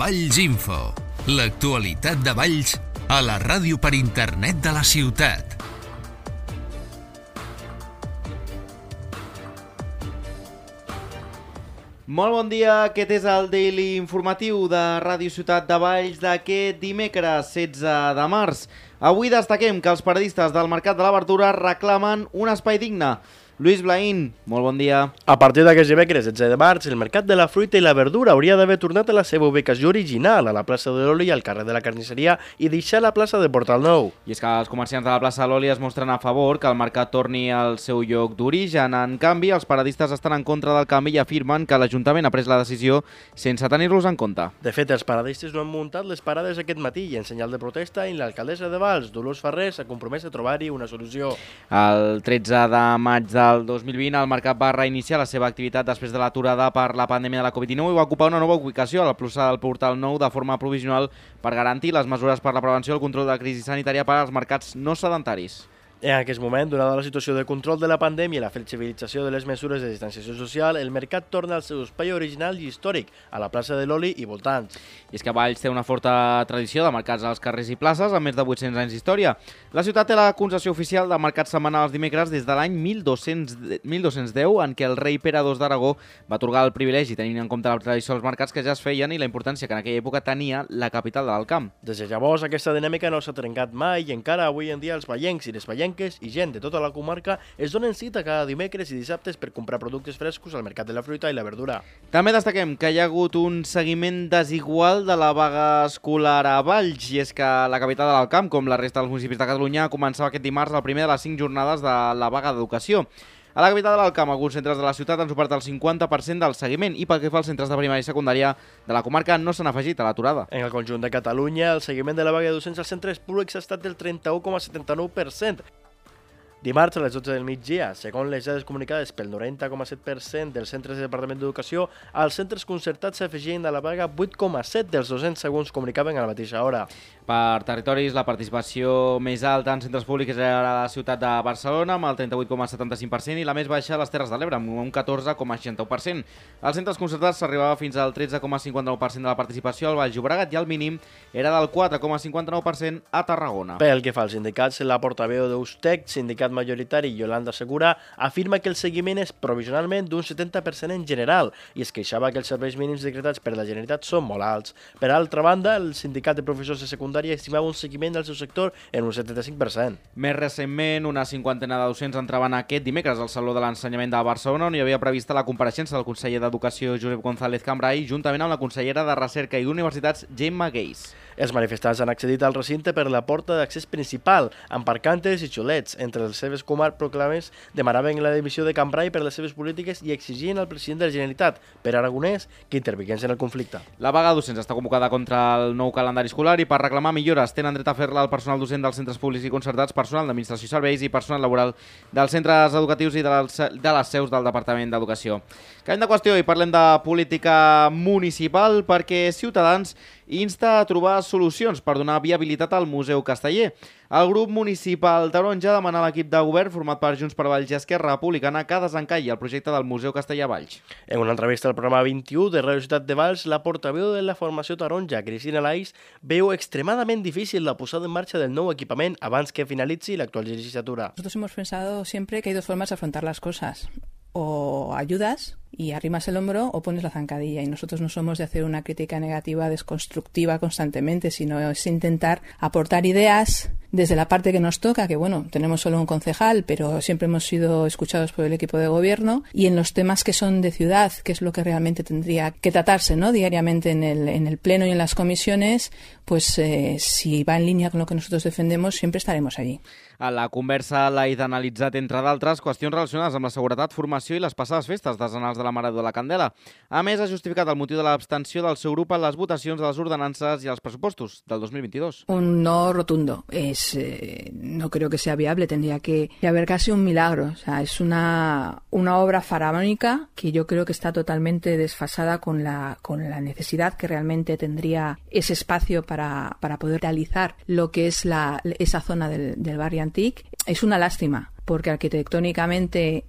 Valls Info, l'actualitat de Valls a la ràdio per internet de la ciutat. Molt bon dia, aquest és el Daily Informatiu de Ràdio Ciutat de Valls d'aquest dimecres 16 de març. Avui destaquem que els paradistes del Mercat de la Verdura reclamen un espai digne. Lluís Blaín, molt bon dia. A partir d'aquest dimecres 16 de març, el Mercat de la Fruita i la Verdura hauria d'haver tornat a la seva ubicació original, a la plaça de l'Oli i al carrer de la Carnisseria, i deixar la plaça de Portal Nou. I és que els comerciants de la plaça de l'Oli es mostren a favor que el mercat torni al seu lloc d'origen. En canvi, els paradistes estan en contra del canvi i afirmen que l'Ajuntament ha pres la decisió sense tenir-los en compte. De fet, els paradistes no han muntat les parades aquest matí i en senyal de protesta i l'alcaldessa de Valls, Dolors Ferrer, s'ha compromès a trobar-hi una solució. El 13 de maig del 2020 el mercat va reiniciar la seva activitat després de l'aturada per la pandèmia de la Covid-19 i va ocupar una nova ubicació a la plaça del Portal Nou de forma provisional per garantir les mesures per la prevenció i el control de la crisi sanitària per als mercats no sedentaris. En aquest moment, donada la situació de control de la pandèmia i la flexibilització de les mesures de distanciació social, el mercat torna al seu espai original i històric, a la plaça de l'Oli i voltants. I és que Valls té una forta tradició de mercats als carrers i places, amb més de 800 anys d'història. La ciutat té la concessió oficial de mercats setmanals dimecres des de l'any 1210, en què el rei Pere II d'Aragó va atorgar el privilegi, tenint en compte la tradició dels mercats que ja es feien i la importància que en aquella època tenia la capital de l'Alt Camp. Des de llavors, aquesta dinàmica no s'ha trencat mai i encara avui en dia els vallencs i les vallenques i gent de tota la comarca es donen cita cada dimecres i dissabtes per comprar productes frescos al mercat de la fruita i la verdura. També destaquem que hi ha hagut un seguiment desigual de la vaga escolar a Valls, i és que la capital de l'Alt Camp, com la resta dels municipis de Catalunya, començava aquest dimarts el primer de les 5 jornades de la vaga d'educació. A la capital de l'Alt Camp, alguns centres de la ciutat han superat el 50% del seguiment i pel que fa als centres de primària i secundària de la comarca no s'han afegit a l'aturada. En el conjunt de Catalunya, el seguiment de la vaga de docents als centres públics ha estat del 31,79%. Dimarts a les 12 del migdia, segons les dades comunicades pel 90,7% dels centres del Departament d'Educació, als centres concertats s'afegien a la vaga 8,7 dels docents segons comunicaven a la mateixa hora. Per territoris, la participació més alta en centres públics era la ciutat de Barcelona, amb el 38,75%, i la més baixa a les Terres de l'Ebre, amb un 14,61%. Als centres concertats s'arribava fins al 13,59% de la participació al Baix Llobregat i el mínim era del 4,59% a Tarragona. Pel que fa als sindicats, la portaveu d'Eustec, sindicat majoritari, Yolanda Segura, afirma que el seguiment és provisionalment d'un 70% en general i es queixava que els serveis mínims decretats per la Generalitat són molt alts. Per altra banda, el sindicat de professors de secundària estimava un seguiment del seu sector en un 75%. Més recentment, una cinquantena de docents entraven aquest dimecres al Saló de l'Ensenyament de Barcelona, on hi havia prevista la compareixença del conseller d'Educació Josep González Cambray, juntament amb la consellera de Recerca i d'Universitats Gemma Geis. Els manifestants han accedit al recinte per la porta d'accés principal, amb parcantes i xulets. Entre les seves proclames demanaven la dimissió de Cambray per les seves polítiques i exigien al president de la Generalitat, Pere Aragonès, que intervingués en el conflicte. La vaga docents està convocada contra el nou calendari escolar i per reclamar millores tenen dret a fer-la el personal docent dels centres públics i concertats, personal d'administració i serveis i personal laboral dels centres educatius i de les seus del Departament d'Educació. Canviem de qüestió i parlem de política municipal perquè Ciutadans insta a trobar solucions per donar viabilitat al Museu Casteller. El grup municipal taronja demana a l'equip de govern format per Junts per Valls i Esquerra Republicana que desencalli el projecte del Museu Castellar a Valls. En una entrevista al programa 21 de Ràdio Ciutat de Valls, la portaveu de la formació taronja, Cristina Lais, veu extremadament difícil la posada en marxa del nou equipament abans que finalitzi l'actual legislatura. Nosotros hemos pensado siempre que hay dos formas de afrontar las cosas. O ayudas y arrimas el hombro o pones la zancadilla, y nosotros no somos de hacer una crítica negativa, desconstructiva constantemente, sino es intentar aportar ideas desde la parte que nos toca, que bueno, tenemos solo un concejal, pero siempre hemos sido escuchados por el equipo de gobierno, y en los temas que son de ciudad, que es lo que realmente tendría que tratarse, ¿no?, diariamente en el pleno y en las comisiones, pues si va en línea con lo que nosotros defendemos, siempre estaremos allí. A la conversa l'ha analitzat, entre d'altres, qüestions relacionades amb la seguretat, formació i les passades festes desenals de la Mare de la Candela. A més, ha justificat el motiu de l'abstenció del seu grup en les votacions de les ordenances i els pressupostos del 2022. Un no rotundo. No creo que sea viable. Tendría que haber casi un milagro. O sea, es una obra faraónica que yo creo que está totalmente desfasada con la necesidad que realmente tendría ese espacio para poder realizar lo que es esa zona del barrio antic. Es una lástima, porque arquitectónicamente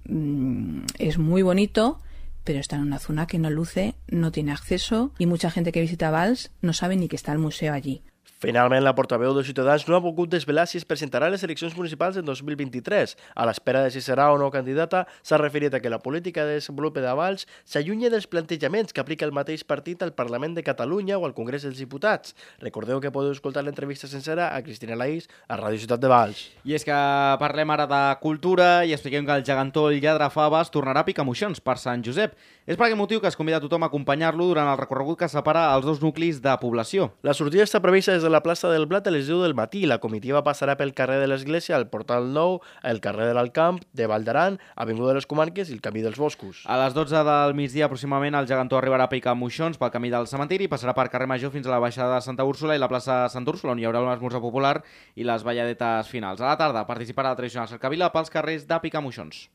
es muy bonito, pero está en una zona que no luce, no tiene acceso y mucha gente que visita Valls no sabe ni que está el museo allí. Finalment, la portaveu de Ciutadans no ha pogut desvelar si es presentarà a les eleccions municipals en 2023. A l'espera de si serà o no candidata, s'ha referit a que la política de desenvolupament de Valls s'allunya dels plantejaments que aplica el mateix partit al Parlament de Catalunya o al Congrés dels Diputats. Recordeu que podeu escoltar l'entrevista sencera a Cristina Laís a Ràdio Ciutat de Valls. I és que parlem ara de cultura i expliquem que el gegantó El Lladrafaves tornarà a Picamoixons per Sant Josep. És per aquest motiu que es convida a tothom a acompanyar-lo durant el recorregut que separa els dos nuclis de població. La sortida està prevista des de la plaça del Blat a les 10 del matí. La comitiva passarà pel carrer de l'Església, el Portal Nou, el carrer de l'Alcamp, de Vall d'Aran, Avinguda de les Comarques i el Camí dels Boscos. A les 12 del migdia aproximadament el gegantó arribarà a Picamoixons pel camí del cementiri i passarà per carrer Major fins a la baixada de Santa Úrsula i la plaça Santa Úrsula, on hi haurà un esmorzar popular i les balladetes finals. A la tarda participarà la tradicional cercavila pels carrers de Picamoixons.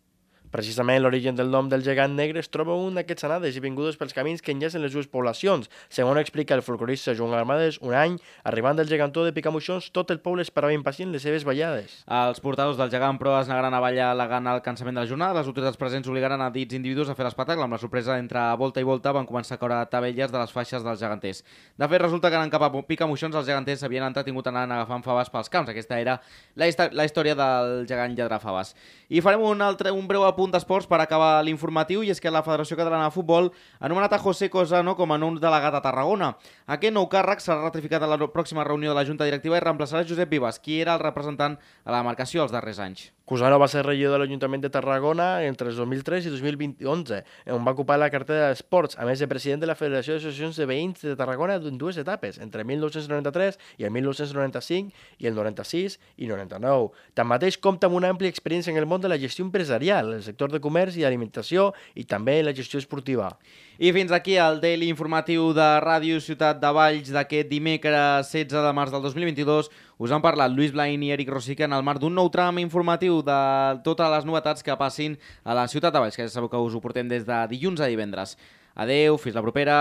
Precisament l'origen del nom del gegant negre es troba un d'aquests anades i vingudes pels camins que enllacen les dues poblacions. Segons explica el folclorista Joan Armades, un any, arribant del gegantó de Picamoixons, tot el poble esperava impacient les seves ballades. Els portadors del gegant, però, es negaran a ballar al·legant el cansament de la jornada. Les autoritats presents obligaran a dits individus a fer l'espectacle. Amb la sorpresa entre volta i volta van començar a caure tabelles de les faixes dels geganters. De fet, resulta que anant cap a Picamoixons els geganters havien entretingut anant agafant faves pels camps. Aquesta era la història del gegant Lladrafaves. I farem un breu apunt d'esports per acabar l'informatiu, i és que la Federació Catalana de Futbol ha anomenat a José Cosano com a nou delegat a Tarragona. Aquest nou càrrec serà ratificat a la pròxima reunió de la Junta Directiva i reemplaçarà Josep Vives, qui era el representant a la demarcació els darrers anys. Cosano va ser regidor de l'Ajuntament de Tarragona entre el 2003 i 2011, on va ocupar la cartera d'Esports, a més de president de la Federació d'Associacions de Veïns de Tarragona en dues etapes, entre 1993 i el 1995 i el 96 i 99. Tanmateix compta amb una àmplia experiència en el món de la gestió empresarial, el sector de comerç i alimentació i també la gestió esportiva. I fins aquí el Daily informatiu de Ràdio Ciutat de Valls d'aquest dimecres 16 de març del 2022. Us han parlat Lluís Blain i Eric Rosica en el marc d'un nou tram informatiu de totes les novetats que passin a la Ciutat de Valls, que ja sabeu que us ho portem des de dilluns a divendres. Adeu, fins la propera.